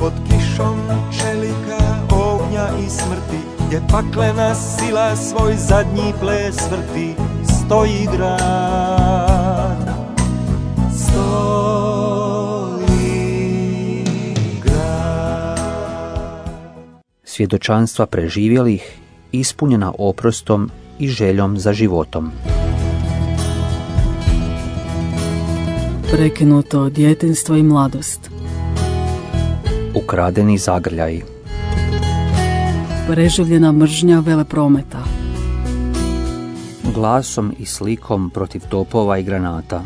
pod kišom čelika, ognja i smrti, gdje paklena sila svoj zadnji ples vrti, stoji grad, stoji grad. Svjedočanstva preživjelih, ispunjena oprostom i željom za životom. Prekinuto djetinjstvo i mladost. Ukradeni zagrljaji. Preživljena mržnja veleprometa. Glasom i slikom protiv topova i granata.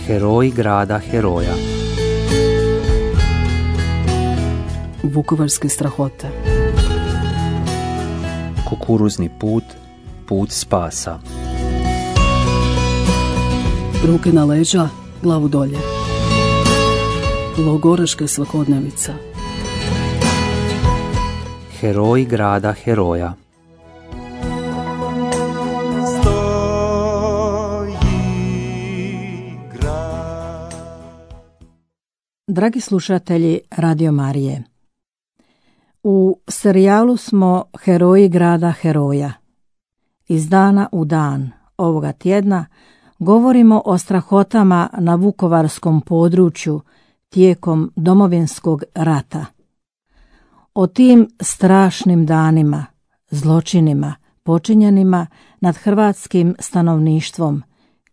Heroji grada heroja. Vukovarske strahote. Kukuruzni put, put spasa. Ruke na leđa, glavu dolje. Logoraška svakodnevica. Heroji grada heroja. Dragi slušatelji Radio Marije, u serijalu smo Heroji grada heroja. Iz dana u dan ovoga tjedna govorimo o strahotama na vukovarskom području tijekom Domovinskog rata. O tim strašnim danima, zločinima počinjenima nad hrvatskim stanovništvom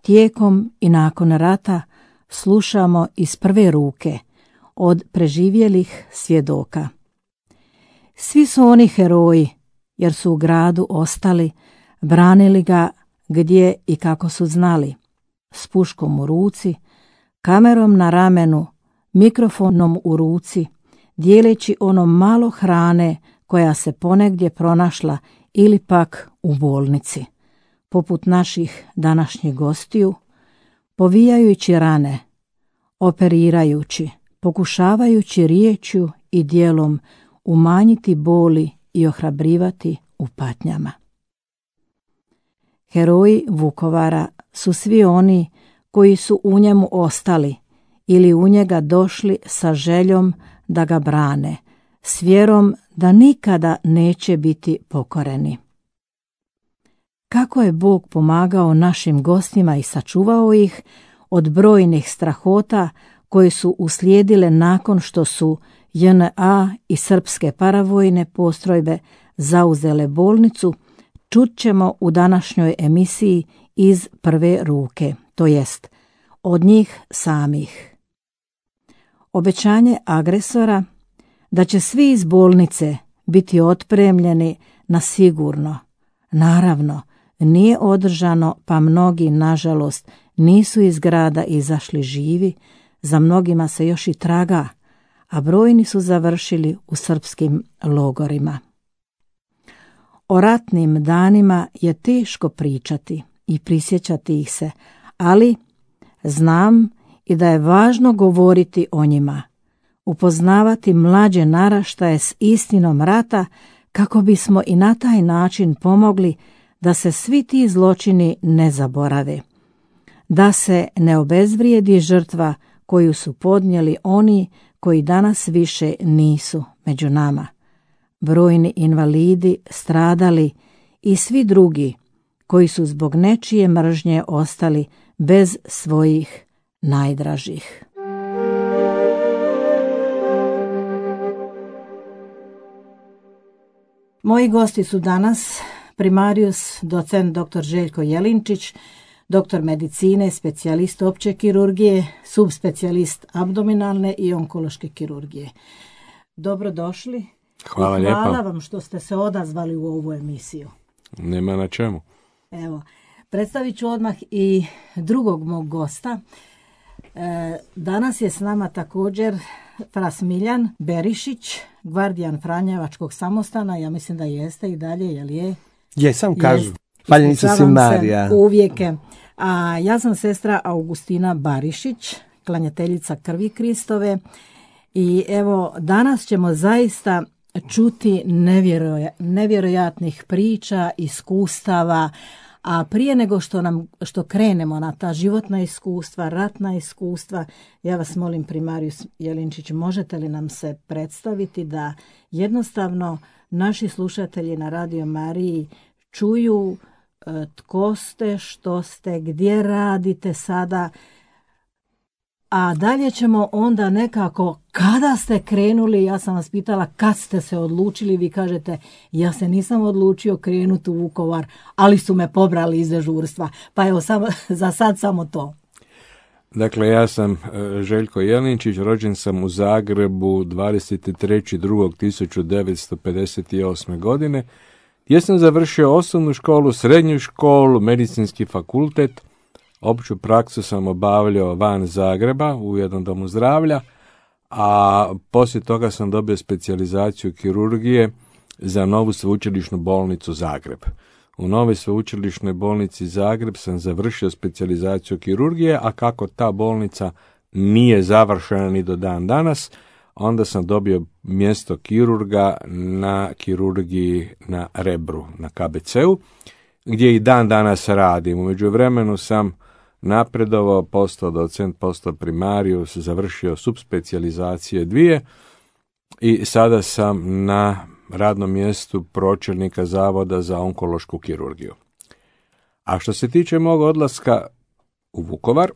tijekom i nakon rata slušamo iz prve ruke od preživjelih svjedoka. Svi su oni heroji jer su u gradu ostali, branili ga gdje i kako su znali, s puškom u ruci, kamerom na ramenu, mikrofonom u ruci, dijeleći ono malo hrane koja se ponegdje pronašla ili pak u bolnici, poput naših današnjih gostiju, povijajući rane, operirajući, pokušavajući riječju i djelom umanjiti boli i ohrabrivati u patnjama. Heroji Vukovara su svi oni koji su u njemu ostali ili u njega došli sa željom da ga brane, s vjerom da nikada neće biti pokoreni. Kako je Bog pomagao našim gostima i sačuvao ih od brojnih strahota koje su uslijedile nakon što su JNA i srpske paravojne postrojbe zauzele bolnicu, čut ćemo u današnjoj emisiji iz prve ruke, to jest od njih samih. Obećanje agresora da će svi iz bolnice biti otpremljeni na sigurno, naravno, nije održano, pa mnogi, nažalost, nisu iz grada izašli živi, za mnogima se još i traga, a brojni su završili u srpskim logorima. O ratnim danima je teško pričati i prisjećati ih se, ali znam i da je važno govoriti o njima, upoznavati mlađe naraštaje s istinom rata kako bismo i na taj način pomogli da se svi ti zločini ne zaborave, da se ne obezvrijedi žrtva koju su podnijeli oni koji danas više nisu među nama. Brojni invalidi, stradali i svi drugi koji su zbog nečije mržnje ostali bez svojih najdražih. Moji gosti su danas primarius docent dr. Željko Jelinčić, doktor medicine, specijalist opće kirurgije, subspecijalist abdominalne i onkološke kirurgije. Dobrodošli. Hvala lijepa. Hvala vam što ste se odazvali u ovu emisiju. Nema na čemu. Evo, predstavit ću odmah i drugog mog gosta. Danas je s nama također fra Smiljan Berišić, gvardijan Franjevačkog samostana. Ja mislim da jeste i dalje, jel je? Jesam, kažu. Paljnica si Marija. Uvijek. A ja sam sestra Augustina Barišić, klanjateljica krvi Kristove. I evo, danas ćemo zaista čuti nevjerojatnih priča, iskustava, A prije nego što krenemo na ta životna iskustva, ratna iskustva, ja vas molim, primarijus Jelinčić, možete li nam se predstaviti da jednostavno naši slušatelji na Radio Mariji čuju tko ste, što ste, gdje radite sada, a dalje ćemo onda nekako, kada ste krenuli, ja sam vas pitala kad ste se odlučili, vi kažete ja se nisam odlučio krenuti u Vukovar, ali su me pobrali iz dežurstva, pa evo za sad samo to. Dakle, ja sam Željko Jelinčić, rođen sam u Zagrebu 23.2.1958. godine, gdje sam završio osnovnu školu, srednju školu, medicinski fakultet. Opću praksu sam obavljao van Zagreba u jednom domu zdravlja, a poslije toga sam dobio specijalizaciju kirurgije za novu sveučilišnu bolnicu Zagreb. U novoj sveučilišnoj bolnici Zagreb sam završio specijalizaciju kirurgije, a kako ta bolnica nije završena ni do dan danas, onda sam dobio mjesto kirurga na kirurgiji na Rebru, na KBC-u, gdje i dan danas radim. U međuvremenu sam napredovao, postao docent, postao primarijus, završio subspecijalizacije 2 i sada sam na radnom mjestu pročelnika Zavoda za onkološku kirurgiju. A što se tiče mog odlaska u Vukovar,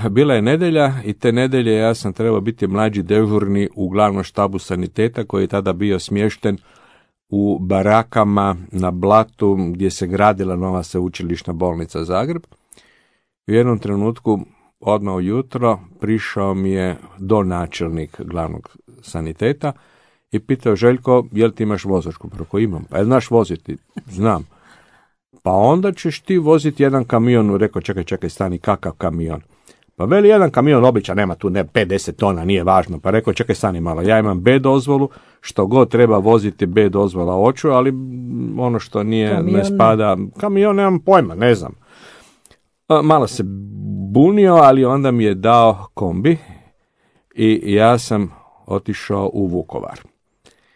bila je nedjelja i te nedjelje ja sam trebao biti mlađi dežurni u glavnom štabu saniteta koji je tada bio smješten u barakama na Blatu gdje se gradila nova sveučilišna bolnica Zagreb. U jednom trenutku, odmah ujutro, prišao mi je donačelnik glavnog saniteta i pitao: Željko, jel ti imaš vozačku? Preko imam. Pa znaš voziti? Znam. Pa onda ćeš ti voziti jedan kamion. Rekao: čekaj, stani, kakav kamion? Pa veli, jedan kamion običan, nema tu 5-10 tona, nije važno. Pa rekao: čekaj, stani malo, ja imam B dozvolu, što god treba voziti B dozvola hoću, ali ono što nije, kamion ne spada, kamion nemam pojma, ne znam. Malo se bunio, ali onda mi je dao kombi i ja sam otišao u Vukovar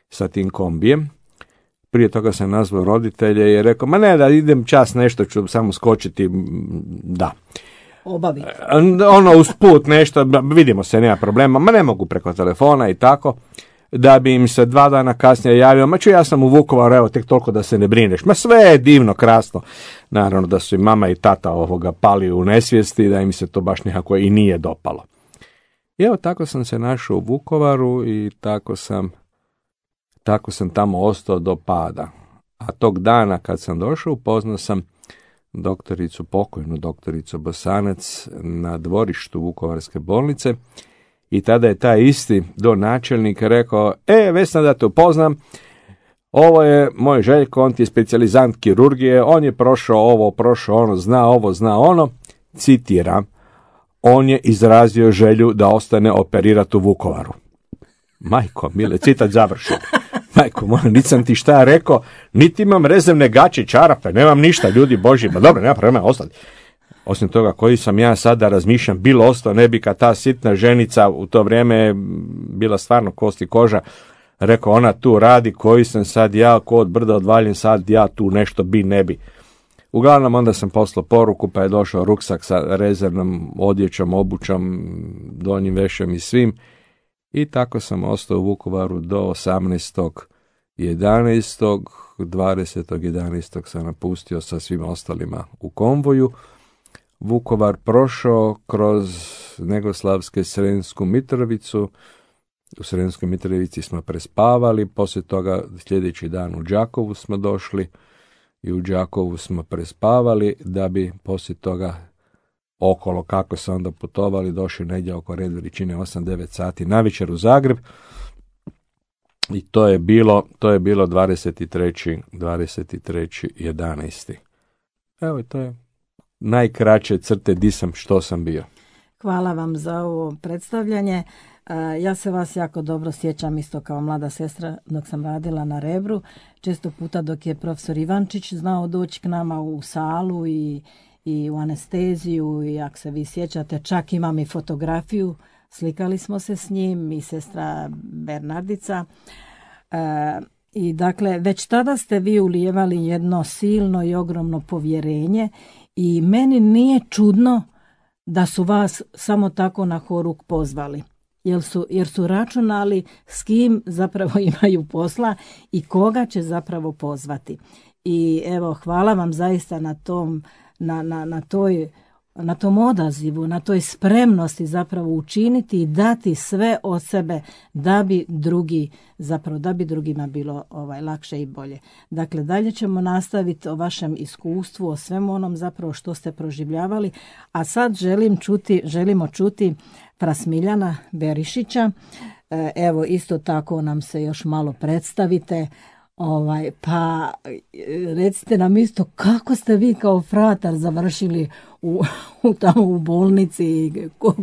sa tim kombijem. Prije toga sam nazvao roditelje i rekao: ma ne, da idem čas, nešto ću samo skočiti, da. Obaviti. Ono usput nešto, vidimo se, nema problema, ma ne mogu preko telefona i tako, da bi im se 2 dana kasnije javio: ma ja sam u Vukovaru, evo tek toliko da se ne brineš. Ma sve je divno, krasno. Naravno da su i mama i tata pali u nesvijesti, da im se to baš nekako i nije dopalo. I evo tako sam se našao u Vukovaru i tako sam tamo ostao do pada. A tog dana kad sam došao, upoznao sam pokojnu doktoricu Bosanac na dvorištu Vukovarske bolnice i tada je taj isti donačelnik rekao: Vesna, da te upoznam, ovo je moj Željko, on ti je specijalizant kirurgije, on je prošao ovo, prošao ono, zna ono, citiram, on je izrazio želju da ostane operirati u Vukovaru. Majko mile, citat završen. Majko moja, nisam ti šta rekao, niti imam rezervne gaće, čarape, nemam ništa, ljudi božji, ma dobro, nema problema, ostati. Osim toga, koji sam ja sada razmišljam, bilo ostao, ne bi kad ta sitna ženica, u to vrijeme bila stvarno kost i koža, rekao: ona tu radi, koji sam sad ja, ko od brda odvaljen, sad ja tu nešto bi, ne bi. Uglavnom, onda sam poslao poruku, pa je došao ruksak sa rezervnom odjećom, obućom, donjim vešem i svim. I tako sam ostao u Vukovaru do 18.11. 20.11. sam napustio sa svim ostalima u konvoju. Vukovar prošao kroz Negoslavske Sremsku Mitrovicu. U Sremskoj Mitrovici smo prespavali, poslije toga sljedeći dan u Đakovu smo došli i u Đakovu smo prespavali, da bi poslije toga okolo, kako se onda putovali, došli negdje oko red veličine 8-9 sati navečer u Zagreb i to je bilo 23.11. Evo, i to je najkraće crte di sam, što sam bio. Hvala vam za ovo predstavljanje. Ja se vas jako dobro sjećam isto kao mlada sestra dok sam radila na Rebru. Često puta dok je profesor Ivančić znao doći k nama u salu i u anesteziju, i ako se vi sjećate, čak imam i fotografiju, slikali smo se s njim i sestra Bernardica. I dakle, već tada ste vi ulijevali jedno silno i ogromno povjerenje i meni nije čudno da su vas samo tako na horuk pozvali. Jer su računali s kim zapravo imaju posla i koga će zapravo pozvati. I evo, hvala vam zaista na tom odazivu, na toj spremnosti zapravo učiniti i dati sve od sebe da bi drugima bilo lakše i bolje. Dakle, dalje ćemo nastaviti o vašem iskustvu, o svemu onom zapravo što ste proživljavali, a sad želimo čuti Prasmiljana Berišića. Evo, isto tako nam se još malo predstavite. Pa recite nam isto kako ste vi kao fratar završili tamo u bolnici,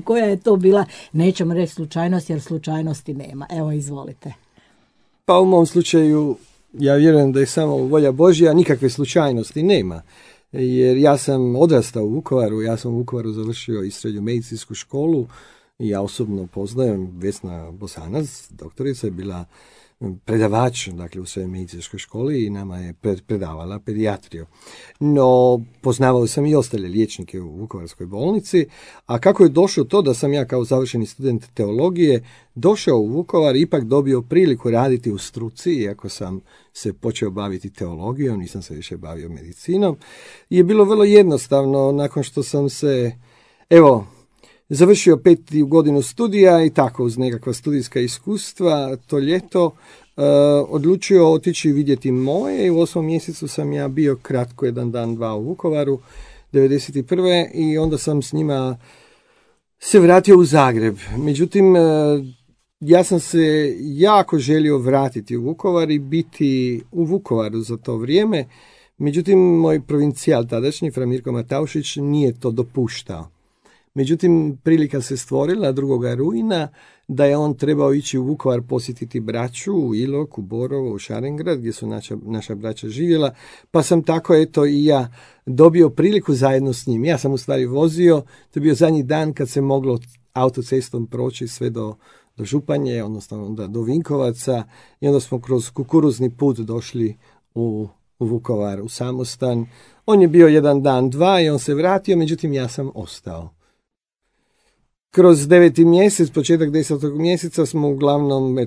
koja je to bila, nećemo reći slučajnost jer slučajnosti nema. Evo, izvolite. Pa u mom slučaju ja vjerujem da je samo volja Božja, nikakve slučajnosti nema. Jer ja sam odrastao u Vukovaru, ja sam u Vukovaru završio i srednju medicinsku školu i ja osobno poznajem Vesna Bosanac, doktorica je bila predavač, dakle, u svojoj medicinskoj školi i nama je predavala pedijatriju. No, poznavao sam i ostale liječnike u Vukovarskoj bolnici, a kako je došlo to da sam ja kao završeni student teologije došao u Vukovar, ipak dobio priliku raditi u struci, iako sam se počeo baviti teologijom, nisam se više bavio medicinom, je bilo vrlo jednostavno nakon što sam se, završio 5. godinu studija i tako uz nekakva studijska iskustva to ljeto odlučio otići vidjeti moje i u 8. mjesecu sam ja bio kratko 1 dan, 2 u Vukovaru 1991. i onda sam s njima se vratio u Zagreb. Međutim, ja sam se jako želio vratiti u Vukovar i biti u Vukovaru za to vrijeme. Međutim, moj provincijal tadašnji, fra Mirko Mataušić, nije to dopuštao. Međutim, prilika se stvorila 2. rujna da je on trebao ići u Vukovar posjetiti braću u Ilok, u Borovo, u Šarengrad, gdje su naša braća živjela, pa sam tako i ja dobio priliku zajedno s njim. Ja sam u stvari vozio, to je bio zadnji dan kad se moglo autocestom proći sve do Županje, odnosno onda do Vinkovaca i onda smo kroz kukuruzni put došli u Vukovar, u samostan. On je bio 1 dan, 2 i on se vratio, međutim ja sam ostao. Kroz 9. mjesec, početak 10. mjeseca smo uglavnom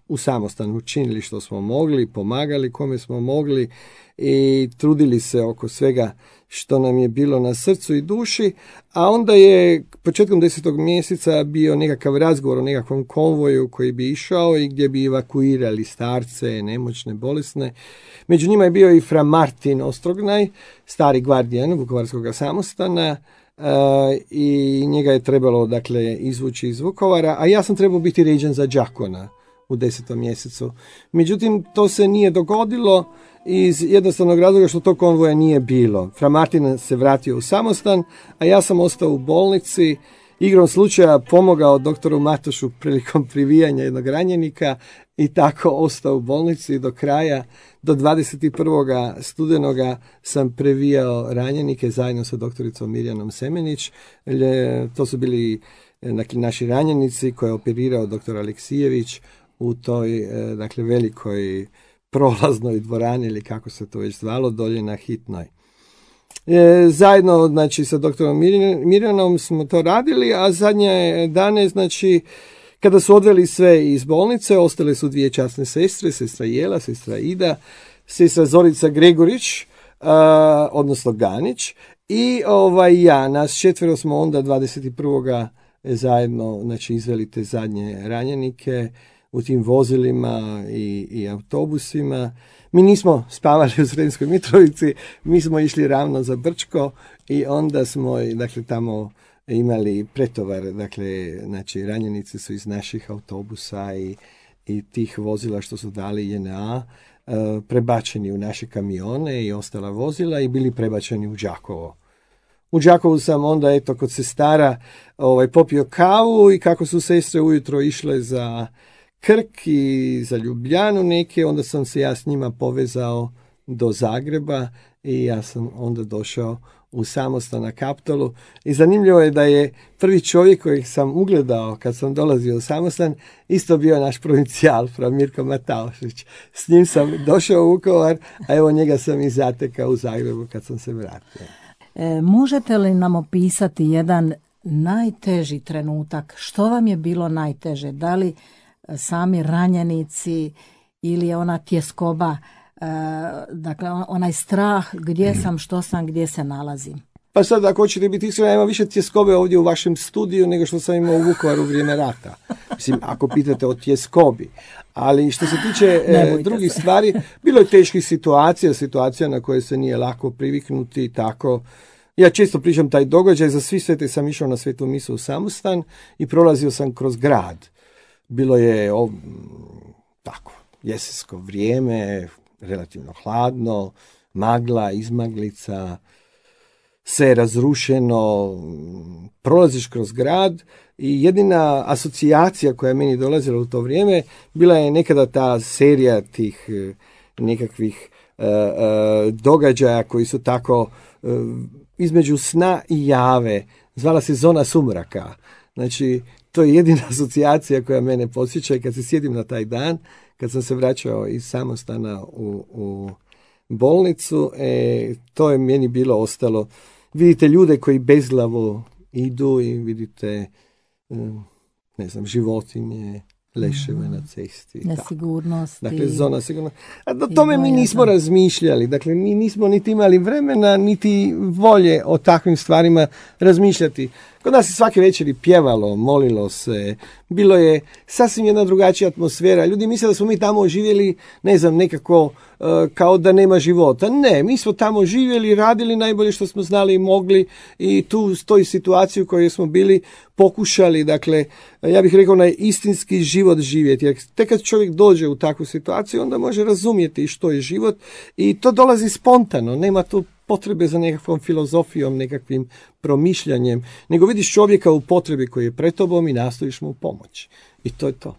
u samostanu učinili što smo mogli, pomagali kome smo mogli i trudili se oko svega što nam je bilo na srcu i duši, a onda je početkom 10. mjeseca bio nekakav razgovor o nekakvom konvoju koji bi išao i gdje bi evakuirali starce, nemoćne, bolesne. Među njima je bio i fra Martin Ostrognaj, stari gvardijan Vukovarskog samostana, i njega je trebalo izvući iz Vukovara, a ja sam trebao biti ređen za đakona u 10. mjesecu. Međutim, to se nije dogodilo iz jednostavnog razloga što tog konvoja nije bilo. Fra Martin se vratio u samostan, a ja sam ostao u bolnici, igrom slučaja pomogao doktoru Matošu prilikom privijanja jednog ranjenika i tako ostao u bolnici do kraja. Do 21. studenoga sam previjao ranjenike zajedno sa doktoricom Mirjanom Semenić. To su bili naši ranjenici koje je operirao doktor Aleksijević u toj velikoj prolaznoj dvorani ili kako se to već zvalo dolje na Hitnoj. Zajedno sa doktorom Mirjanom smo to radili, a zadnje dane kada su odveli sve iz bolnice, ostale su 2 časne sestre, sestra Jela, sestra Ida, sestra Zorica Gregorić, odnosno Ganić, i ja, nas 4 smo onda 21. zajedno izveli te zadnje ranjenike u tim vozilima i autobusima. Mi nismo spavali u Sremskoj Mitrovici, mi smo išli ravno za Brčko i onda smo tamo imali pretovar, ranjenici su iz naših autobusa i tih vozila što su dali JNA prebačeni u naše kamione i ostala vozila i bili prebačeni u Đakovo. U Đakovu sam onda kod sestara popio kavu i kako su sestre ujutro išle za Krk i za Ljubljanu neke, onda sam se ja s njima povezao do Zagreba i ja sam onda došao u samostan na Kaptolu. I zanimljivo je da je prvi čovjek kojeg sam ugledao kad sam dolazio u samostan isto bio naš provincijal, fra Mirko Mataošić. S njim sam došao u Vukovar, a evo njega sam i zatekao u Zagrebu kad sam se vratio. Možete li nam opisati jedan najteži trenutak? Što vam je bilo najteže? Da li sami ranjenici ili je ona tjeskoba, dakle onaj strah gdje sam, što sam, gdje se nalazim? Pa sad, ako hoćete biti iskreno, ima više tjeskobe ovdje u vašem studiju nego što sam imao u Vukovaru u vrijeme rata. Mislim, ako pitate o tjeskobi. Ali što se tiče drugih stvari, bilo je teških situacija na koje se nije lako priviknuti i tako. Ja često pričam taj događaj, za Svi svete sam išao na svetu misu u samostan i prolazio sam kroz grad. Bilo je tako, jesensko vrijeme, relativno hladno, magla, izmaglica, sve je razrušeno, prolaziš kroz grad i jedina asocijacija koja je meni dolazila u to vrijeme bila je nekada ta serija tih nekakvih događaja koji su tako između sna i jave, zvala se Zona sumraka. Znači, to je jedina asocijacija koja mene podsjeća i kad se sjedim na taj dan, kad sam se vraćao iz samostana u bolnicu, to je meni bilo ostalo. Vidite ljude koji bezglavo idu i vidite, ne znam, životinje, leševe na cesti. Nesigurnosti. Dakle, zona sigurnosti. A do tome mi nismo razmišljali. Dakle, mi nismo niti imali vremena, niti volje o takvim stvarima razmišljati. Kod nas je svake večeri pjevalo, molilo se, bilo je sasvim jedna drugačija atmosfera. Ljudi misle da smo mi tamo živjeli, ne znam, nekako kao da nema života. Ne, mi smo tamo živjeli, radili najbolje što smo znali i mogli i tu stoji situaciju u kojoj smo bili pokušali, dakle, ja bih rekao, na istinski život živjeti. Jer tek kad čovjek dođe u takvu situaciju, onda može razumjeti što je život i to dolazi spontano, nema tu potrebe za nekakvom filozofijom, nekakvim promišljanjem, nego vidiš čovjeka u potrebi koji je pred tobom i nastojiš mu pomoći. I to je to.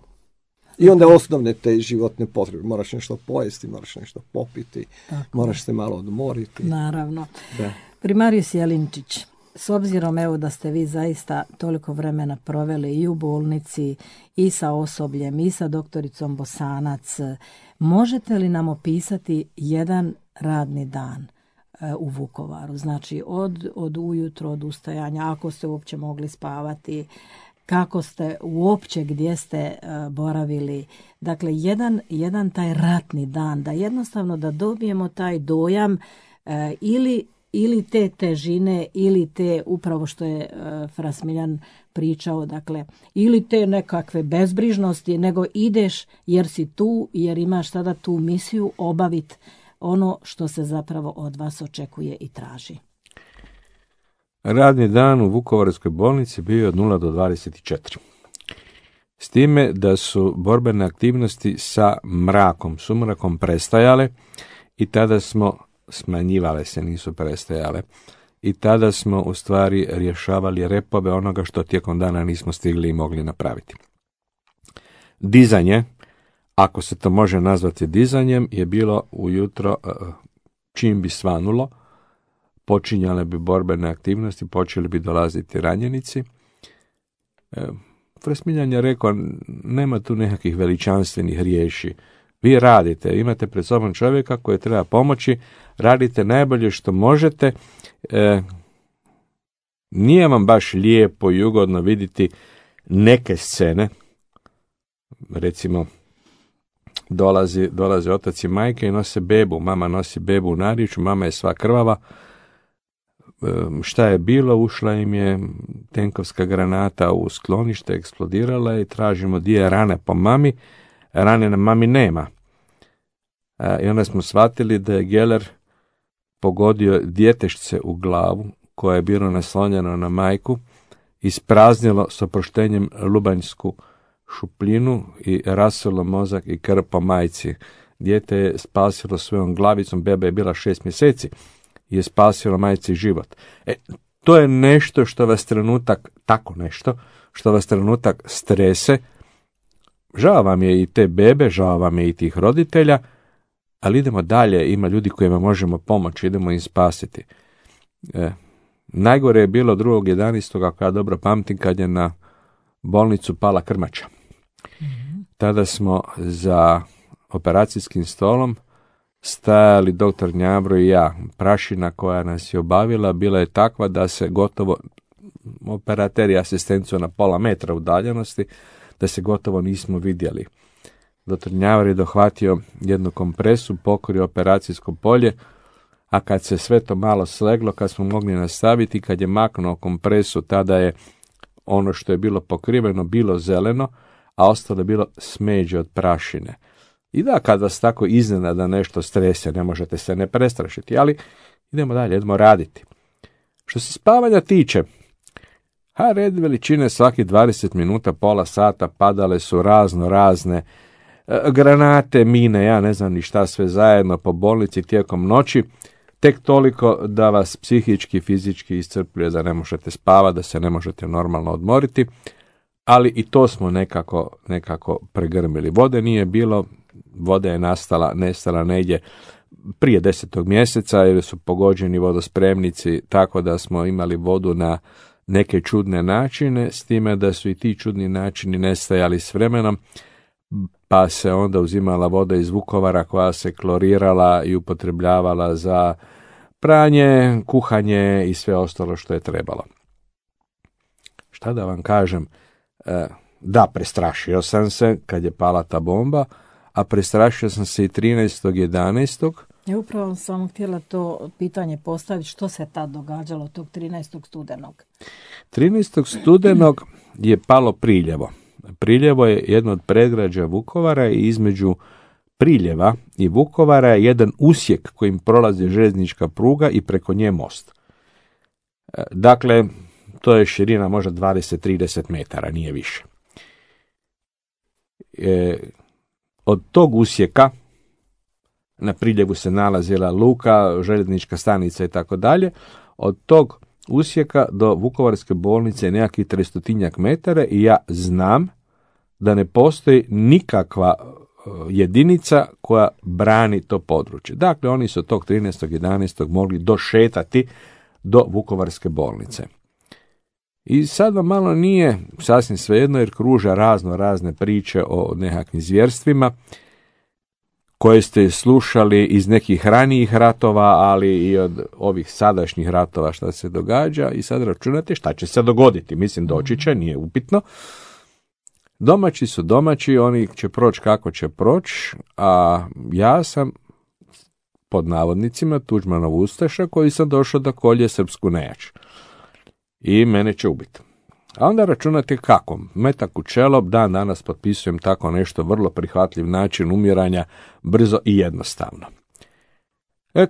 I onda osnovne te životne potrebe. Moraš nešto pojesti, moraš nešto popiti, moraš se malo odmoriti. Naravno. Da. Primarijus Jelinčić, s obzirom evo da ste vi zaista toliko vremena proveli i u bolnici i sa osobljem i sa doktoricom Bosanac, možete li nam opisati jedan radni dan u Vukovaru? Znači od ujutro, od ustajanja, ako ste uopće mogli spavati, kako ste uopće, gdje ste boravili. Dakle, jedan taj ratni dan, da jednostavno da dobijemo taj dojam ili te težine, ili te, upravo što je fra Smiljan pričao, dakle, ili te nekakve bezbrižnosti, nego ideš jer si tu, jer imaš tada tu misiju obaviti ono što se zapravo od vas očekuje i traži. Radni dan u Vukovarskoj bolnici bio je od 0 do 24. S time da su borbene aktivnosti sa sumrakom prestajale i tada smo smanjivale se, nisu prestajale. I tada smo u stvari rješavali repove onoga što tijekom dana nismo stigli i mogli napraviti. Dizanje, ako se to može nazvati dizanjem, je bilo ujutro, čim bi svanulo, počinjale bi borbene aktivnosti, počeli bi dolaziti ranjenici. Smiljan je rekao, nema tu nekakvih veličanstvenih riješi. Vi radite, imate pred sobom čovjeka koji treba pomoći, radite najbolje što možete. Nije vam baš lijepo i ugodno vidjeti neke scene, recimo dolaze otac i majke i nose bebu, mama nosi bebu u narječju, mama je sva krvava. Šta je bilo? Ušla im je tenkovska granata u sklonište, eksplodirala i tražimo gdje je rane po mami. Rane na mami nema. I onda smo shvatili da je Geller pogodio djetešce u glavu koje je bilo naslonjeno na majku, ispraznilo s oproštenjem lubanjsku šupljinu i rasulo mozak i krv po majci. Dijete je spasilo svojom glavicom, beba je bila 6 mjeseci, je spasilo majci život. To je nešto što vas trenutak, tako nešto, što vas trenutak strese. Žao vam je i te bebe, žao vam je i tih roditelja, ali idemo dalje, ima ljudi kojima možemo pomoći, idemo im spasiti. Najgore je bilo 2.11. ako ja dobro pamtim, kad je na bolnicu pala krmača. Tada smo za operacijskim stolom stajali doktor Gnjabro i ja. Prašina koja nas je obavila bila je takva da se gotovo, operater i asistenciju na pola metra udaljenosti, da se gotovo nismo vidjeli. Doktor Gnjabro je dohvatio jednu kompresu, pokrio operacijsko polje, a kad se sve to malo sleglo, kad smo mogli nastaviti, kad je maknuo kompresu, tada je ono što je bilo pokriveno bilo zeleno, a ostalo je bilo smeđe od prašine. I da, kad vas tako iznenada nešto strese, ne možete se ne prestrašiti, ali idemo dalje, idemo raditi. Što se spavanja tiče, red veličine svaki 20 minuta, pola sata padale su razne granate, mine, ja ne znam ni šta sve zajedno po bolnici tijekom noći, tek toliko da vas psihički, fizički iscrpljuje, da ne možete spavati, da se ne možete normalno odmoriti, ali i to smo nekako pregrmili. Vode nije bilo, voda je nestala negdje prije 10. mjeseca jer su pogođeni vodospremnici, tako da smo imali vodu na neke čudne načine, s time da su i ti čudni načini nestajali s vremenom, pa se onda uzimala voda iz Vukovara koja se klorirala i upotrebljavala za pranje, kuhanje i sve ostalo što je trebalo. Šta da vam kažem? Da, prestrašio sam se kad je pala ta bomba, a prestrašio sam se i 13.11. Ja upravo sam htjela to pitanje postaviti, što se tad događalo tog 13. studenog? 13. studenog je palo Priljevo. Priljevo je jedno od predgrađa Vukovara i između Priljeva i Vukovara je jedan usjek kojim prolazi željeznička pruga i preko nje most. Dakle, to je širina možda 20-30 metara, nije više. Od tog usjeka, na Priljevu se nalazila luka, željeznička stanica i tako dalje, od tog usjeka do Vukovarske bolnice je nekakvih 300 metara i ja znam da ne postoji nikakva jedinica koja brani to područje. Dakle, oni su tog 13.11. mogli došetati do Vukovarske bolnice. I sad vam malo nije sasvim svejedno jer kruže razne priče o nekakvim zvjerstvima koje ste slušali iz nekih ranijih ratova, ali i od ovih sadašnjih ratova šta se događa i sad računate šta će se dogoditi. Mislim, doći će, nije upitno. Domaći su domaći, oni će proći kako će proći, a ja sam pod navodnicima Tuđmanov ustaša koji sam došao da kolje srpsku nejač. I mene će ubiti. A onda računate kako. Metak u čelo, dan danas potpisujem tako nešto, vrlo prihvatljiv način umiranja, brzo i jednostavno.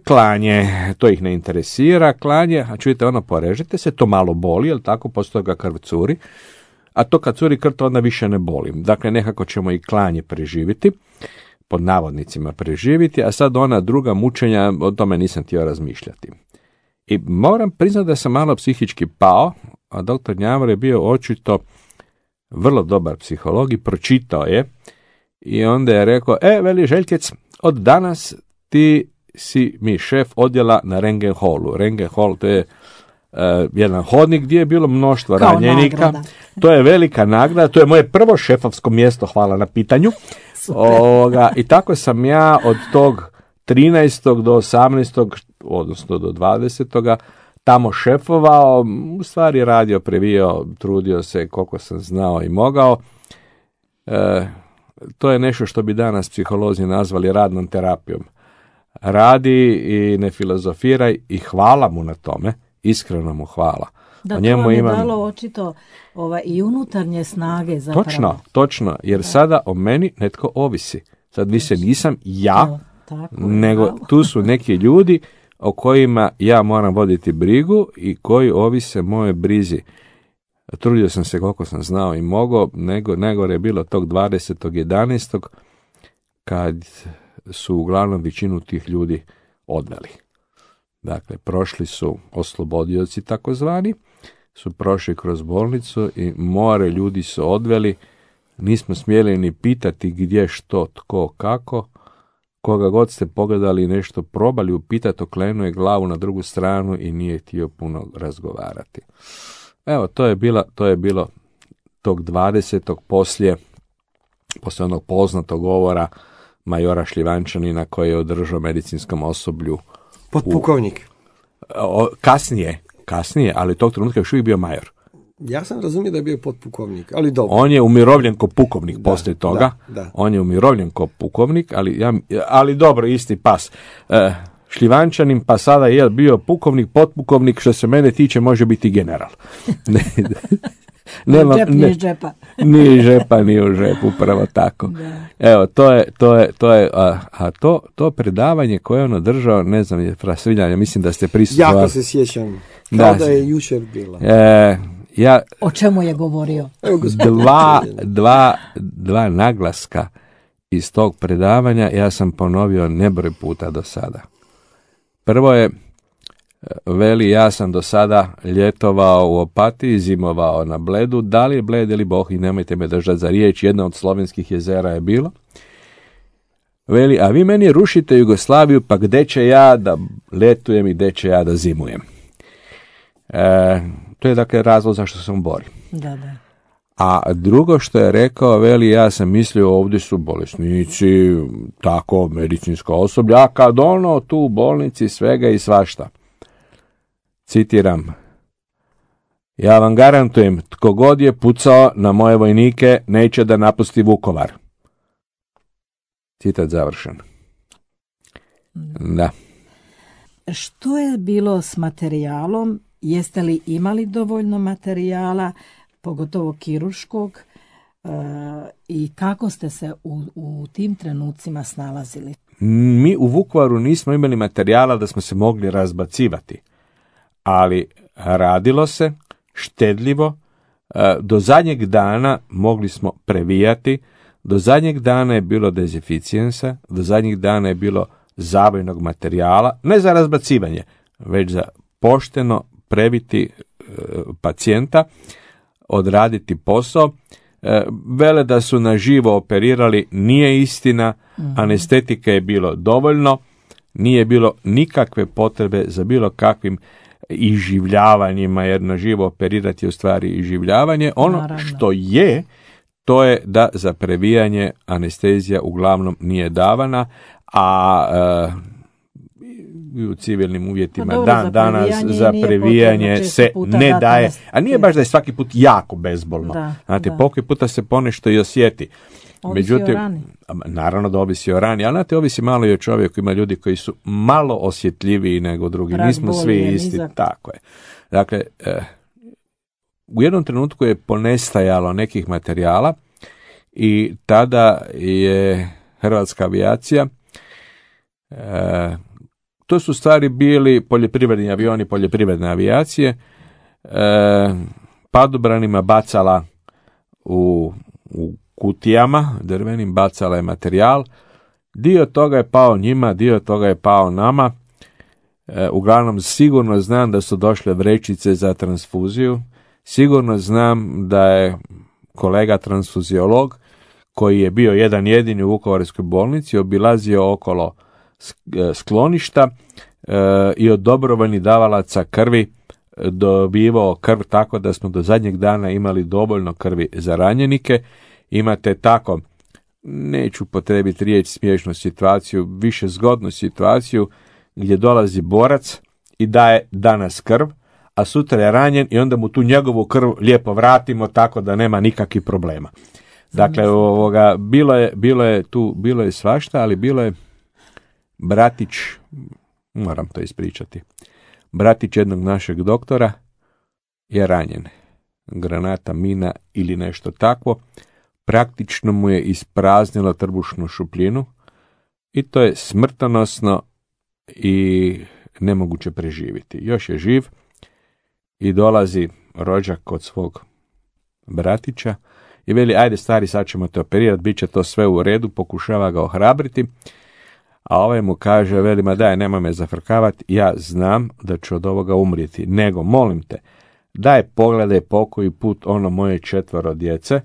Klanje, to ih ne interesira, klanje, a čujete, ono, porežete se, to malo boli, jel tako, posto toga krv curi, a to kad curi krv, to onda više ne boli. Dakle, nekako ćemo i klanje preživiti, pod navodnicima preživiti, a sad ona druga mučenja, o tome nisam htio razmišljati. I moram priznati da sam malo psihički pao, a doktor Gnjavro je bio očito vrlo dobar psiholog i pročitao je i onda je rekao, veli Željkec, od danas ti si mi šef odjela na Rengen holu. Rengen hol, to je jedan hodnik gdje je bilo mnoštvo ranjenika. Nagrada. To je velika nagrada, to je moje prvo šefovsko mjesto, hvala na pitanju. I tako sam ja od tog 13. do 18. odnosno do 20. tamo šefovao, u stvari radio, previo, trudio se koliko sam znao i mogao. To je nešto što bi danas psiholozi nazvali radnom terapijom. Radi i ne filozofiraj i hvala mu na tome, iskreno mu hvala. Da, to vam je dalo očito i unutarnje snage zapravo. Točno, jer sada o meni netko ovisi. Sad više nisam ja, nego tu su neki ljudi o kojima ja moram voditi brigu i koji ovise moje brizi. Trudio sam se koliko sam znao i mogao, najgore je bilo tog 20.11. kad su uglavnom većinu tih ljudi odveli. Dakle, prošli su oslobodioci takozvani, su prošli kroz bolnicu i more ljudi su odveli, nismo smjeli ni pitati gdje, što, tko, kako. koga god ste pogledali i nešto probali upitati, okrenuo je glavu na drugu stranu i nije htio puno razgovarati. Evo, to je bilo tog 20. poslije onog poznatog govora majora Šljivančanina koji je održao medicinskom osoblju. Potpukovnik. Kasnije, ali tog trenutka još uvijek bio major. Ja sam razumio da je bio potpukovnik, ali dobro. On je umirovljen ko pukovnik poslije toga. Da. On je umirovljen ko pukovnik, ali dobro, isti pas. Šljivančanin pa sada je bio pukovnik, potpukovnik, što se mene tiče može biti general. Ni žepa. Ni žepa, ni u žepu, upravo tako. Da. Evo, to predavanje koje je on održao, ne znam, je Frasviljanja, mislim da ste prisustvovali. Jako se sjećam, kao da je jučer bila. O čemu je govorio? Dva naglaska iz tog predavanja ja sam ponovio nebroj puta do sada. Prvo je, veli, ja sam do sada ljetovao u Opatiji, zimovao na Bledu, da li je Bled ili Boh, i nemojte me držati za riječ, jedna od slovenskih jezera je bilo. Veli, a vi meni rušite Jugoslaviju, pa gde će ja da letujem i gde će ja da zimujem? To je dakle razlog zašto sam borio. Da. A drugo što je rekao, veli, ja sam mislio ovdje su bolesnici, tako, medicinsko osoblje, a kad ono tu u bolnici svega i svašta. Citiram, ja vam garantujem, tko god je pucao na moje vojnike, neće da napusti Vukovar. Citat završen. Da. Što je bilo s materijalom? Jeste li imali dovoljno materijala, pogotovo kirurškog, i kako ste se u tim trenucima snalazili? Mi u Vukovaru nismo imali materijala da smo se mogli razbacivati, ali radilo se štedljivo, do zadnjeg dana mogli smo previjati, do zadnjeg dana je bilo dezinficijensa, do zadnjeg dana je bilo zabojnog materijala, ne za razbacivanje, već za pošteno previti pacijenta, odraditi posao. Vele da su na živo operirali, nije istina, anestetike je bilo dovoljno, nije bilo nikakve potrebe za bilo kakvim iživljavanjima, jer na živo operirati je u stvari iživljavanje. Ono naravno što je, to je da za previjanje anestezija uglavnom nije davana, a u civilnim uvjetima danas za previjanje se ne daje, a nije baš da je svaki put jako bezbolno. Znate, pokoji puta se ponešto i osjeti. Međutim, naravno da ovisi o rani, ali znate, ovisi malo i o čovjeku. Ima ljudi koji su malo osjetljiviji nego drugi. Nismo svi isti. Tako je. Dakle, u jednom trenutku je ponestajalo nekih materijala i tada je hrvatska avijacija, to su stvari bili poljoprivredni avioni, poljoprivredne avijacije, padobranima bacala u kutijama drvenim, bacala je materijal. Dio toga je pao njima, dio toga je pao nama. Uglavnom sigurno znam da su došle vrećice za transfuziju. Sigurno znam da je kolega transfuziolog, koji je bio jedan jedini u Vukovarskoj bolnici, obilazio okolo skloništa i od dobrovoljnih davalaca krvi dobivao krv, tako da smo do zadnjeg dana imali dovoljno krvi za ranjenike. Imate tako, neću potrebiti riječ smiješnu situaciju, više zgodnu situaciju gdje dolazi borac i daje danas krv, a sutra je ranjen i onda mu tu njegovu krv lijepo vratimo tako da nema nikakvih problema. Dakle, bilo je svašta, ali bilo je bratić, moram to ispričati, bratić jednog našeg doktora je ranjen. Granata, mina ili nešto takvo, praktično mu je ispraznilo trbušnu šupljinu i to je smrtonosno i nemoguće preživjeti. Još je živ i dolazi rođak kod svog bratića i veli, ajde stari, sad ćemo te operirati, bit će to sve u redu, pokušava ga ohrabriti, a ovaj mu kaže, veli, ma daj, nemoj me zafrkavati, ja znam da ću od ovoga umrijeti, nego molim te, daj pogledaj pokoji put ono moje 4 djece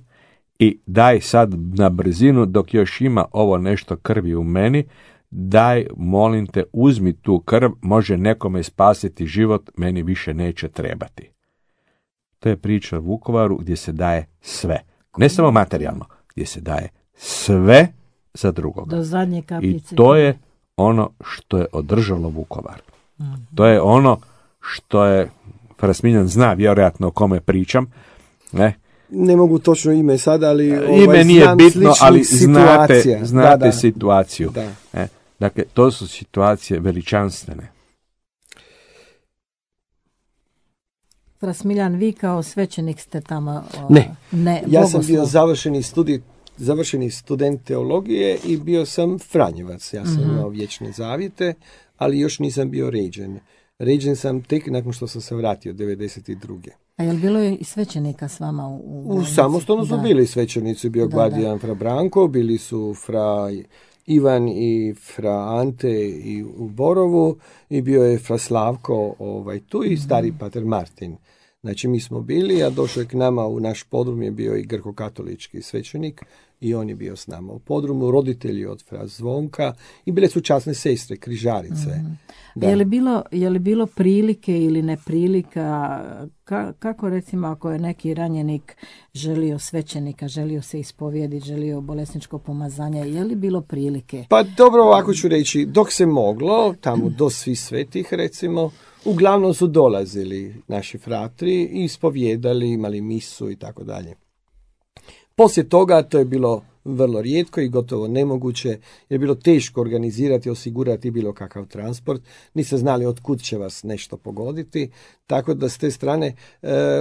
i daj sad na brzinu dok još ima ovo nešto krvi u meni, daj, molim te, uzmi tu krv, može nekome spasiti život, meni više neće trebati. To je priča o Vukovaru gdje se daje sve. Ne samo materijalno, gdje se daje sve za drugoga. Do zadnje kapljice. I to je ono što je održalo Vukovar. To je ono što je, Frasmiljan zna vjerojatno o kome pričam, Ne mogu točno ime sada, ali ime nije bitno, ali situacija. znate situaciju. Da. Dakle, to su situacije veličanstvene. Frasmiljan, vi kao svećenik ste tamo... Ne, ja sam bio završeni student teologije i bio sam Franjevac. Ja sam imao vječne zavjete, ali još nisam bio ređen. Ređen sam tek nakon što sam se vratio, 92. A je li bilo i svećenika s vama u samostalno su bili svećenici, bio Gladijan fra Branko, bili su fra Ivan i fra Ante i u Borovu i bio je fra Slavko tu i stari pater Martin. Znači mi smo bili, a došao je k nama u naš podrum je bio i grko-katolički svećenik i on je bio s nama u podrumu, roditelji od fra Zvonka i bile su časne sestre, križarice. Je li bilo prilike ili neprilika, kako recimo ako je neki ranjenik želio svećenika, želio se ispovijediti, želio bolesničko pomazanje, je li bilo prilike? Pa dobro, ovako ću reći, dok se moglo, tamo do Svih svetih recimo, uglavnom su dolazili naši fratri i ispovijedali, imali misu i tako dalje. Poslije toga to je bilo vrlo rijetko i gotovo nemoguće, jer je bilo teško organizirati, osigurati bilo kakav transport, niste znali od kud će vas nešto pogoditi, tako da s te strane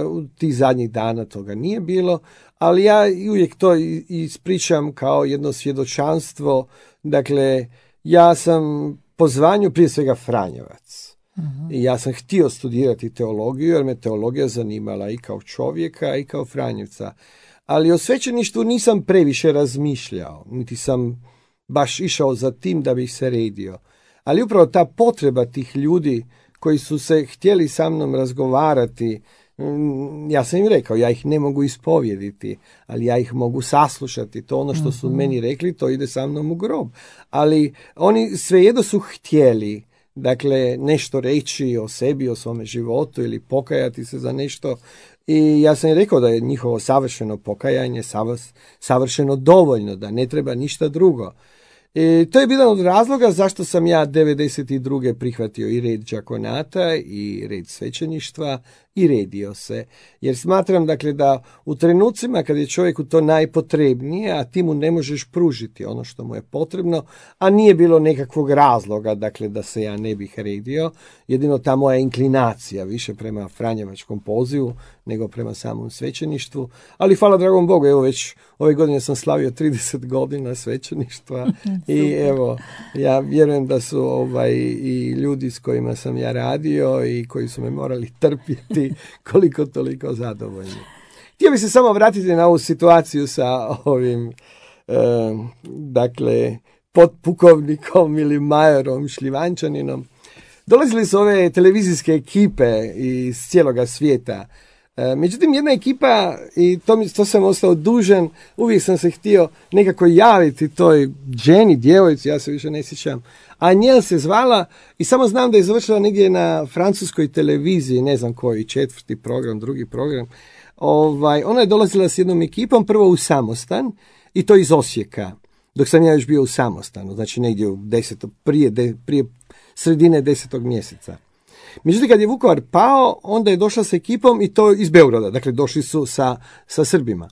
u tih zadnjih dana toga nije bilo, ali ja uvijek to ispričam kao jedno svjedočanstvo, dakle ja sam po zvanju prije svega Franjevac. I ja sam htio studirati teologiju, jer me teologija zanimala i kao čovjeka i kao Franjevca. Ali o svećeništvu nisam previše razmišljao, niti sam baš išao za tim da bih se redio. Ali upravo ta potreba tih ljudi koji su se htjeli sa mnom razgovarati, ja sam im rekao, ja ih ne mogu ispovijediti, ali ja ih mogu saslušati. To ono što su meni rekli, to ide sa mnom u grob. Ali oni svejedno su htjeli, dakle, nešto reći o sebi, o svome životu ili pokajati se za nešto. I ja sam im rekao da je njihovo savršeno pokajanje savršeno dovoljno, da ne treba ništa drugo. I to je jedan od razloga zašto sam ja 92. prihvatio i red đakonata i red svećeništva i redio se. Jer smatram dakle da u trenucima kad je čovjeku to najpotrebnije, a ti mu ne možeš pružiti ono što mu je potrebno, a nije bilo nekakvog razloga dakle da se ja ne bih redio, jedino ta moja inklinacija više prema franjevačkom pozivu nego prema samom svećeništvu, ali hvala dragom Bogu, evo već ove godine sam slavio 30 godina svećeništva i evo, ja vjerujem da su i ljudi s kojima sam ja radio i koji su me morali trpjeti koliko toliko zadovoljni. Htio bih se samo vratiti na ovu situaciju sa ovim dakle potpukovnikom ili majorom Šljivančaninom. Dolazili su ove televizijske ekipe iz cijeloga svijeta. Međutim, jedna ekipa, i to sam ostao dužan, uvijek sam se htio nekako javiti toj ženi, djevojci, ja se više ne sjećam, a njel se zvala i samo znam da je završila negdje na francuskoj televiziji, ne znam koji, 4. program, 2. program. Ona je dolazila s jednom ekipom, prvo u Samostan, i to iz Osijeka, dok sam ja još bio u Samostanu, znači negdje prije sredine 10. mjeseca. Međutim, kad je Vukovar pao, onda je došla s ekipom i to iz Beograda, dakle došli su sa Srbima.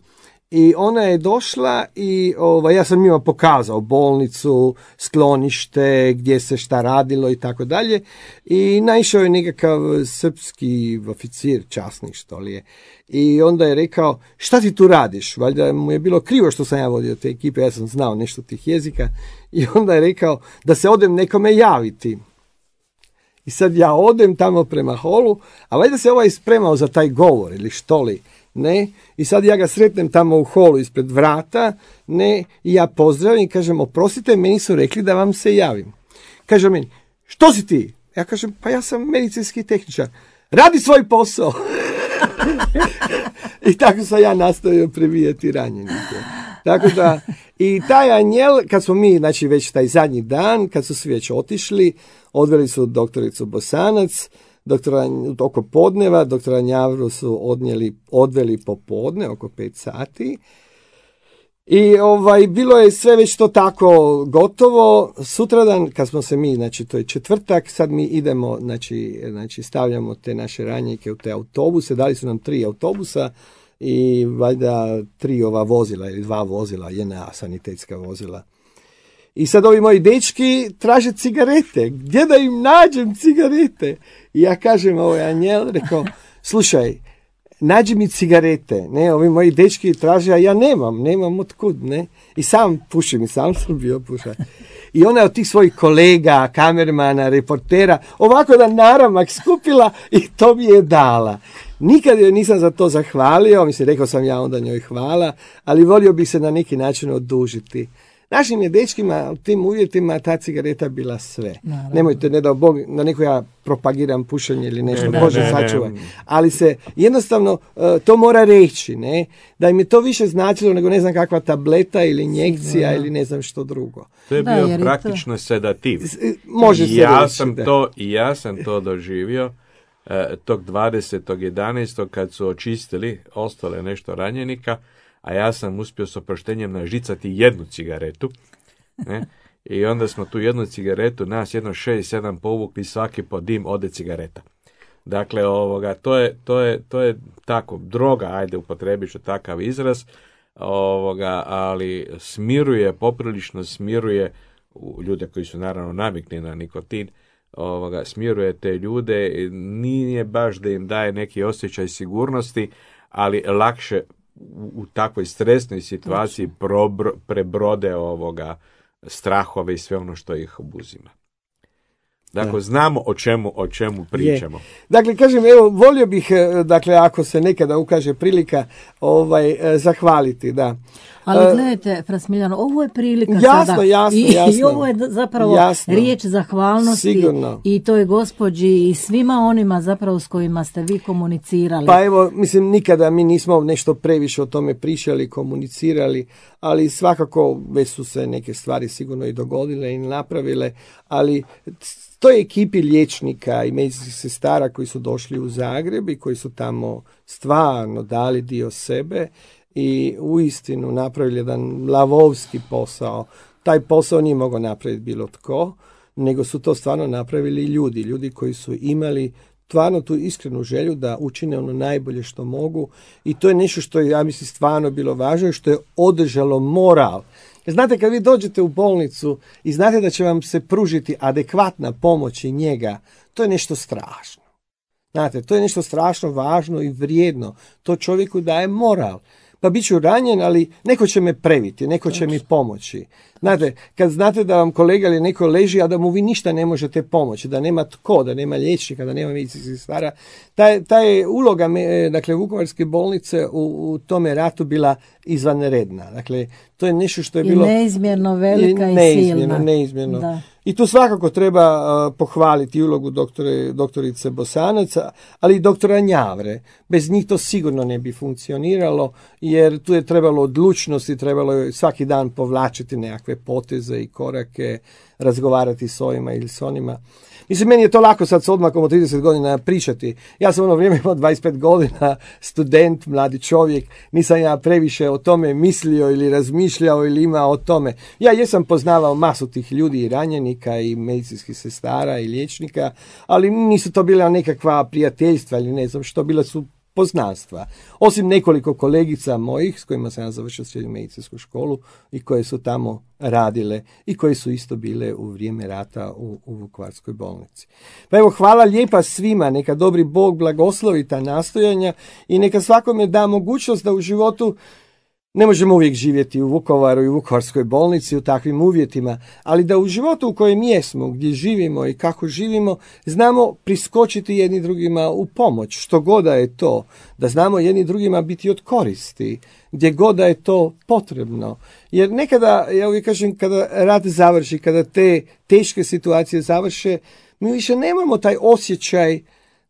I ona je došla i ja sam njima pokazao bolnicu, sklonište, gdje se šta radilo i tako dalje. I naišao je nekakav srpski oficir, časnik što li je. I onda je rekao, šta ti tu radiš? Valjda mu je bilo krivo što sam ja vodio te ekipe, ja sam znao nešto tih jezika. I onda je rekao da se odem nekome javiti. I sad ja odem tamo prema holu, a valjda se spremao za taj govor ili što li, ne? I sad ja ga sretnem tamo u holu ispred vrata, ne? I ja pozdravim i kažem, oprostite, meni su rekli da vam se javim. Kaže meni, što si ti? Ja kažem, pa ja sam medicinski tehničar. Radi svoj posao. I tako sam ja nastavio prebijati ranjenike. Tako da, i taj anjel, kad smo mi, znači već taj zadnji dan, kad su svi već otišli, odveli su doktoricu Bosanac, oko podneva, doktora Njavru su odveli popodne, oko 5 sati. I bilo je sve već to tako gotovo. Sutradan, kad smo se mi, znači to je četvrtak, sad mi idemo, znači stavljamo te naše ranjenike u te autobuse, dali su nam 3 autobusa i valjda 3 vozila ili 2 vozila, JNA sanitetska vozila. I sad ovi moji dečki traže cigarete. Gdje da im nađem cigarete? I ja kažem, anjel, rekao, slušaj, nađi mi cigarete, ne, ovi moji dečki traže, a ja nemam otkud, ne, i sam pušim, i sam sam bio pušač. I ona od tih svojih kolega, kamermana, reportera, ovako da naramak skupila i to mi je dala. Nikad joj nisam za to zahvalio, mislim, rekao sam ja onda njoj hvala, ali volio bih se na neki način odužiti. Našim je dečkima u tim uvjetima ta cigareta bila sve. Naravno. Nemojte, ne dao Bog, na neko ja propagiram pušenje ili nešto, Bože sačuvaj. Ali se jednostavno to mora reći, ne? Da im je to više značilo nego ne znam kakva tableta ili injekcija ili ne znam što drugo. To je bio praktično sedativ. Može se reći. Ja sam to doživio tog 20.11. kad su očistili ostale nešto ranjenika, a ja sam uspio s oproštenjem nažicati 1 cigaretu, ne? I onda smo tu 1 cigaretu, nas 6-7 povukli, svaki po dim ode cigareta. Dakle, to je tako, droga, ajde upotrebit ću takav izraz, ali poprilično smiruje ljude koji su naravno navikli na nikotin, smiruje te ljude, nije baš da im daje neki osjećaj sigurnosti, ali lakše u takvoj stresnoj situaciji prebrode strahove i sve ono što ih obuzima. Dakle, znamo o čemu pričamo. Dakle, kažem, evo, volio bih, dakle, ako se nekada ukaže prilika, zahvaliti, da. Ali gledajte, Fra Smiljano, ovo je prilika jasno. I ovo je zapravo riječ zahvalnosti. Sigurno. I toj gospođi i svima onima zapravo s kojima ste vi komunicirali. Pa evo, mislim, nikada mi nismo nešto previše o tome pričali, komunicirali, ali svakako već su se neke stvari sigurno i dogodile i napravile, ali toj ekipi liječnika i medicinskih sestara koji su došli u Zagreb i koji su tamo stvarno dali dio sebe i uistinu napravili jedan lavovski posao. Taj posao nije mogao napraviti bilo tko, nego su to stvarno napravili ljudi koji su imali stvarno tu iskrenu želju da učine ono najbolje što mogu i to je nešto što je, ja mislim, stvarno bilo važno i što je održalo moral. Jer znate, kad vi dođete u bolnicu i znate da će vam se pružiti adekvatna pomoć i njega, to je nešto strašno. Znate, to je nešto strašno važno i vrijedno. To čovjeku daje moral. Pa bit ću ranjen, ali neko će me previti, neko će mi pomoći. Znate, kad znate da vam kolega ili neko leži, a da mu vi ništa ne možete pomoći, da nema tko, da nema liječnika, da nema medicinskih sestara, ta je uloga, dakle, Vukovarske bolnice u tome ratu bila izvanredna. Dakle, to je nešto što je bilo... I neizmjerno velika i silna. Neizmjerno. Da. I tu svakako treba pohvaliti ulogu doktorice Bosanac, ali i doktora Njavre. Bez njih to sigurno ne bi funkcioniralo, jer tu je trebalo odlučnosti, trebalo je svaki dan povlačiti nekakve poteze i korake, razgovarati s ovima ili s onima. Mislim, meni je to lako sad s odmakom od 30 godina pričati. Ja sam ono vrijeme imao 25 godina, student, mladi čovjek, nisam ja previše o tome mislio ili razmišljao ili imao o tome. Ja jesam poznavao masu tih ljudi i ranjenika i medicinskih sestara i liječnika, ali nisu to bila nekakva prijateljstva ili ne znam što, bila su poznanstva. Osim nekoliko kolegica mojih s kojima sam ja završio srednju medicinsku školu i koje su tamo radile i koje su isto bile u vrijeme rata u Vukovarskoj bolnici. Pa evo, hvala lijepa svima, neka dobri Bog blagoslovi ta nastojanja i neka svakome da mogućnost da u životu ne možemo uvijek živjeti u Vukovaru i u Vukovarskoj bolnici u takvim uvjetima, ali da u životu u kojem jesmo, gdje živimo i kako živimo, znamo priskočiti jedni drugima u pomoć, što god da je to, da znamo jedni drugima biti od koristi, gdje god da je to potrebno. Jer nekada, ja uvijek kažem, kada rat završi, kada te teške situacije završe, mi više nemamo taj osjećaj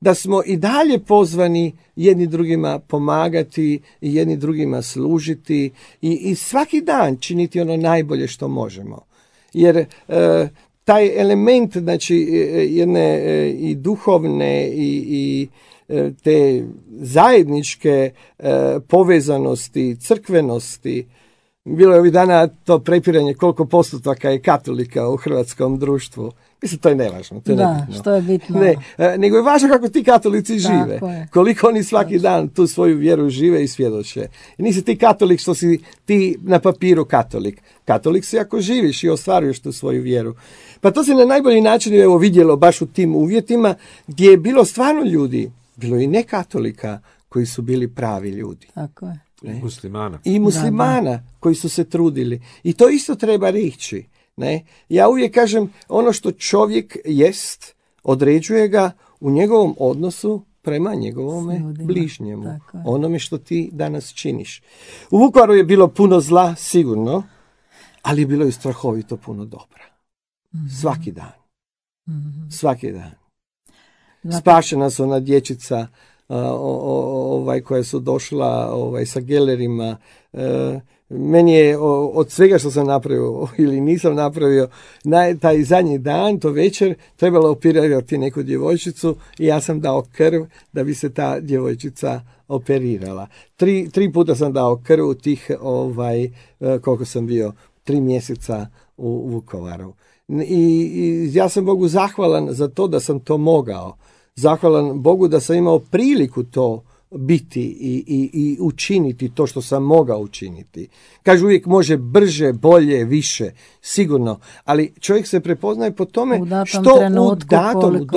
da smo i dalje pozvani jedni drugima pomagati i jedni drugima služiti i svaki dan činiti ono najbolje što možemo. Jer taj element, znači, jedne i duhovne i te zajedničke povezanosti, crkvenosti. Bilo je ovih dana to prepiranje koliko postotaka je katolika u hrvatskom društvu. Mislim, to je nevažno. To je nebitno. Što je bitno. Ne, nego je važno kako ti katolici žive. Koliko oni svaki dan tu svoju vjeru žive i svjedoče. I nisi ti katolik što si ti na papiru katolik. Katolik si ako živiš i ostvaruješ tu svoju vjeru. Pa to se na najbolji način vidjelo baš u tim uvjetima gdje je bilo stvarno ljudi, bilo i nekatolika koji su bili pravi ljudi. Tako je. Muslimana. I muslimana koji su se trudili. I to isto treba reći. Ne? Ja uvijek kažem, ono što čovjek jest, određuje ga u njegovom odnosu prema njegovome bližnjemu. Onome što ti danas činiš. U Vukovaru je bilo puno zla, sigurno, ali je bilo i strahovito puno dobra. Svaki dan. Svaki dan. Spašena su ona dječica koja su došla sa gelerima. Meni je od svega što sam napravio ili nisam napravio, taj zadnji dan, to večer, trebalo operirati neku djevojčicu i ja sam dao krv da bi se ta djevojčica operirala. Tri puta sam dao krv u tih, koliko sam bio, 3 mjeseca u Vukovaru. I ja sam Bogu zahvalan za to da sam to mogao. Zahvalan Bogu da sam imao priliku to biti i učiniti to što sam mogao učiniti. Kažu uvijek može brže, bolje, više, sigurno, ali čovjek se prepoznaje po tome što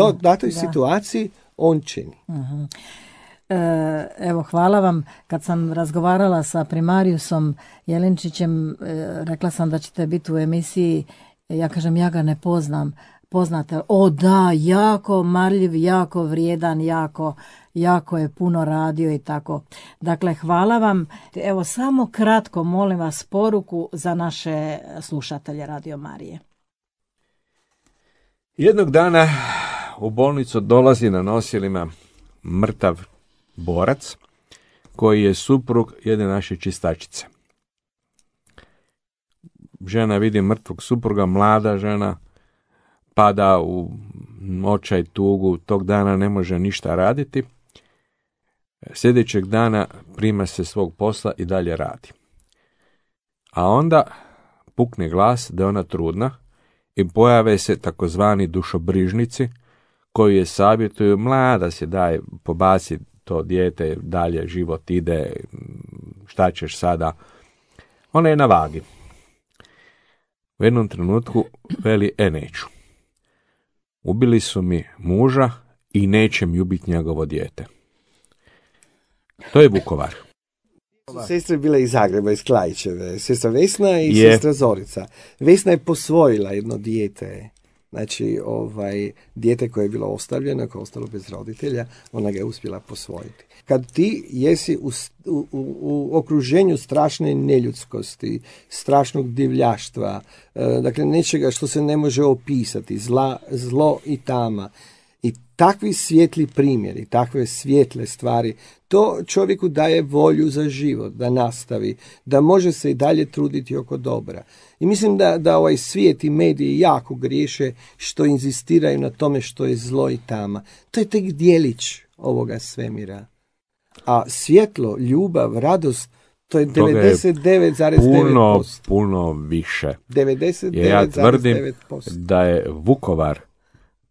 u datoj situaciji on čini. Evo, hvala vam. Kad sam razgovarala sa primarijusom Jelinčićem, rekla sam da ćete biti u emisiji. Ja kažem, ja ga ne poznam. Poznate? O da, jako marljiv, jako vrijedan, jako je puno radio i tako. Dakle, hvala vam. Evo, samo kratko, molim vas, poruku za naše slušatelje Radio Marije. Jednog dana u bolnicu dolazi na nosilima mrtav borac koji je suprug jedne naše čistačice. Žena vidi mrtvog supruga, mlada žena, pada u očaj, tugu, tog dana ne može ništa raditi. Sljedećeg dana prima se svog posla i dalje radi. A onda pukne glas da je ona trudna i pojave se takozvani dušobrižnici koji je savjetuju, mlada si, daj, pobaci to dijete, dalje život ide, šta ćeš sada. Ona je na vagi. U jednom trenutku veli, neću. Ubili su mi muža i neće mi ubiti njegovo dijete. To je Vukovar. Sestre bile iz Zagreba, iz Klaićeve. Sestra Vesna i sestra Zorica. Vesna je posvojila jedno dijete. Znači, dijete koje je bilo ostavljeno, koje je ostalo bez roditelja, ona ga je uspjela posvojiti. Kad ti jesi u okruženju strašne neljudskosti, strašnog divljaštva, dakle nečega što se ne može opisati, zlo i tama, i takvi svijetli primjeri, takve svijetle stvari, to čovjeku daje volju za život, da nastavi, da može se i dalje truditi oko dobra. I mislim da ovaj svijet i mediji jako griješe što inzistiraju na tome što je zlo i tama. To je tek djelić ovoga svemira. A svjetlo, ljubav, radost, to je 99,9%. Puno više. 99,9%. Ja tvrdim da je Vukovar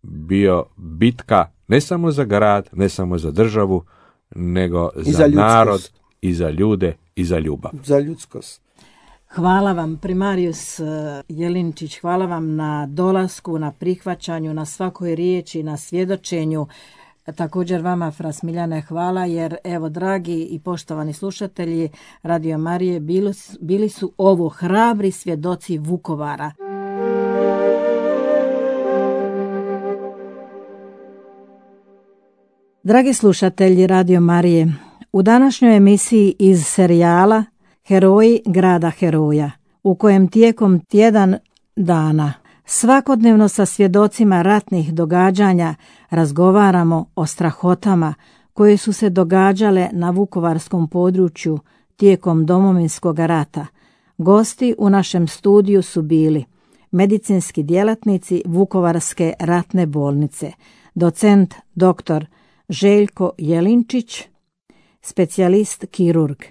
bio bitka ne samo za grad, ne samo za državu, nego za narod i za ljude i za ljubav. Za ljudskost. Hvala vam, primarijus Jelinčić, hvala vam na dolasku, na prihvaćanju, na svakoj riječi, na svjedočenju. Također vama, fra Smiljane, hvala, jer evo, dragi i poštovani slušatelji Radio Marije, bili su ovo hrabri svjedoci Vukovara. Dragi slušatelji Radio Marije, u današnjoj emisiji iz serijala Heroji grada heroja, u kojem tijekom tjedan dana Svakodnevno sa svjedocima ratnih događanja razgovaramo o strahotama koje su se događale na vukovarskom području tijekom Domovinskog rata. Gosti u našem studiju su bili medicinski djelatnici Vukovarske ratne bolnice, docent dr. Željko Jelinčić, specijalist kirurg,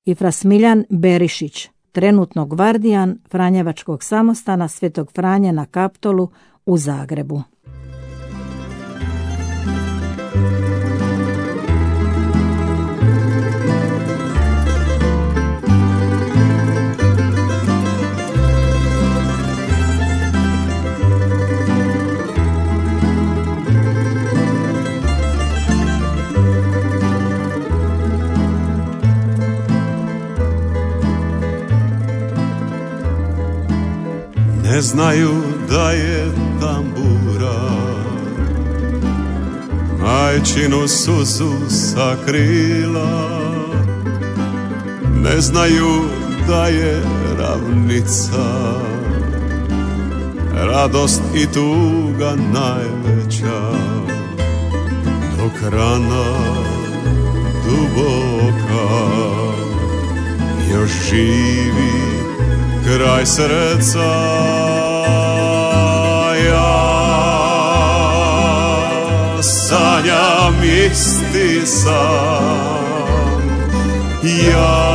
i fra Smiljan Berišić, trenutno gvardijan Franjevačkog samostana Svetog Franje na Kaptolu u Zagrebu. Ne znaju da je tambura majčinu suzu sakrila, ne znaju da je ravnica radost i tuga najveća, dok rana duboka još živi kraj srca. Ja sanjam isti san, ja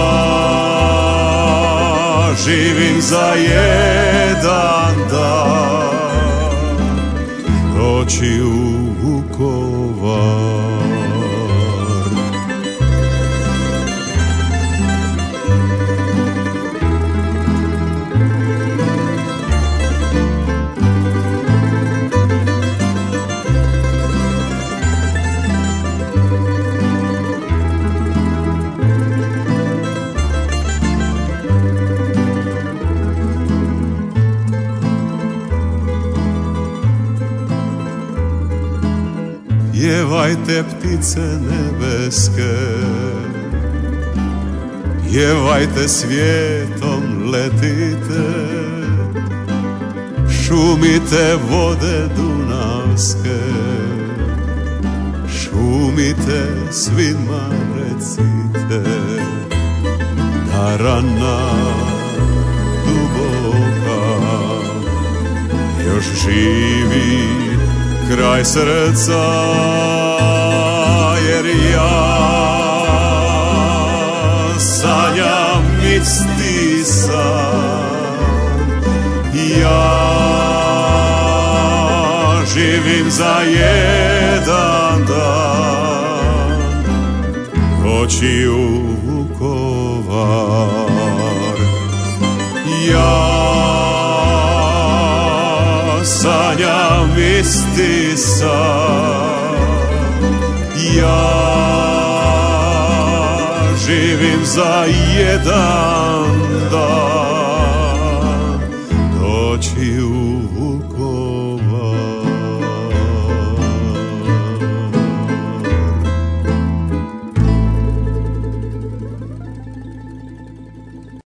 živim za jedan dan doći u Vukovar. Pjevajte ptice nebeske, pjevajte svijetom letite, šumite vode dunavske, šumite svima recite, da rana duboka još živi kraj srca, jer ja sanjam isti san, ja živim za jedan dan doći u Vukovar. Ja sanjam isti san, ja živim za jedan